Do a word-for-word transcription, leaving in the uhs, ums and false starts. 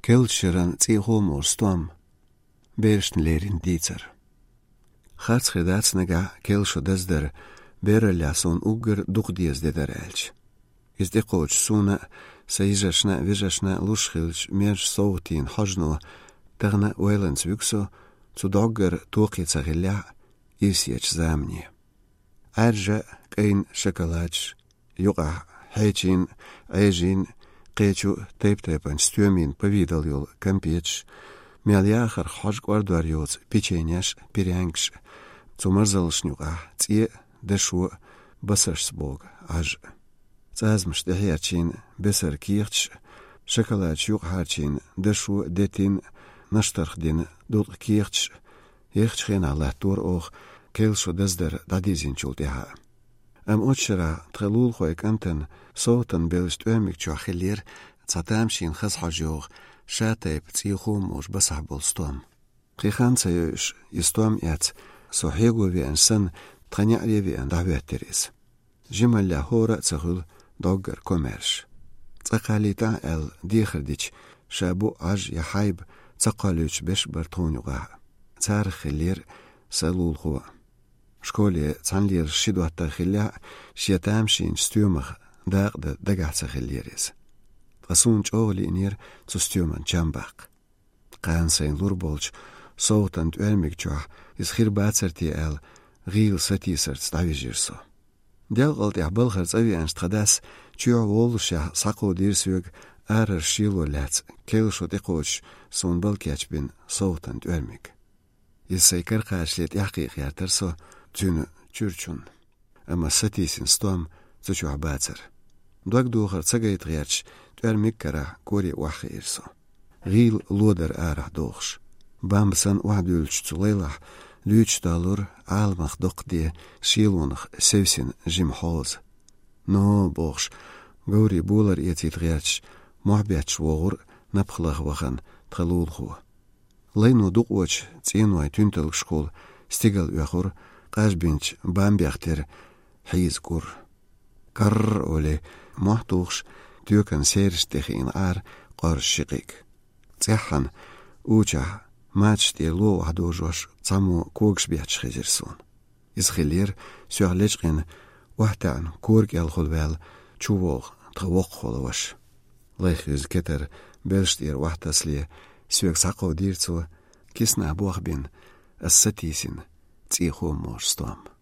Kelsheren tsihomo stom. Bersten lerin dizer. Harts gedatsnega kelsho desder bereljason uger duchdies dederelch. Is de coach suna seizashna vizashna lushilch mer sautin hajno terna oelens vukso zu dogger tuqitsagilla isiech zamni. Arja kein chocolach yuqa hechin ejin qechu teptepan stumin pavidalyol kampech mialyachar hajgwardvaryots picheniash piryangs zumarzalshnyuqa tsie deshu basashsbog aj Zazmsh de herchin besser kirch chocolach yuq harchin deshu detin nashtarchdin dot kirch Jechtchen ala tour och kelsho desder dadizin chulteha. Am ochra trelul khoy kanten sotan belst ömik chwachilir tsatamshin khashajog shatep tsikhum ush basahbol stom. Qikhan sayush istom yat sohego vi ansan tranyari vi andaveteris. Jimalla hora tsagul dogger commerce. Tsaqalita el dikhrdich shabu aj yahaib tsaqaluch besh bartonuga. Tsar khilir salul khuwa. Школе цанлер шидватта хилля шиятамшин стюмах дагда дагатса хиллерис. Тасун чогли инер цу стюман чамбак. Qansayn lurbolch sotant ölmikchwa is khirbaatsarti el gil satisert stavijirso. Delgalt yahbalkhar tsavian stqadas chua wolsha saqo dirsug arar shilo lats kelsho deqoch son balkachbin sotant ölmik. Isay karqashlet yaqiq yartarso Tune churchun. Ama satisin stom zuchu bazer. Dag doger tsagait riach twer mikkara kori wakhirso. Gil loder arah dogs. Bamsan wahdulch tsulelah luch dalur almach dokdi shilonach sevsin jimhoz. No bogs gori bular etit riach mohbiach wogur napkhlag wagan tgalulgu. Leino duqoch tsinwai tuntel skol stigal yakhur Qashbinch bambiachter hizgur. Kar ole mahtughs tukan serstech in ar qarshikik. Tsahan ucha match de lo hadojosh tsamo kogsbiach khizerson. Iskhilir suarlechqin wahtan korg el khulwal chuvog tawaq kholowash. Lekhiz keter belshtir wahtasli suek saqo dirtso kisna buakhbin as-satisin tsikhom morstom.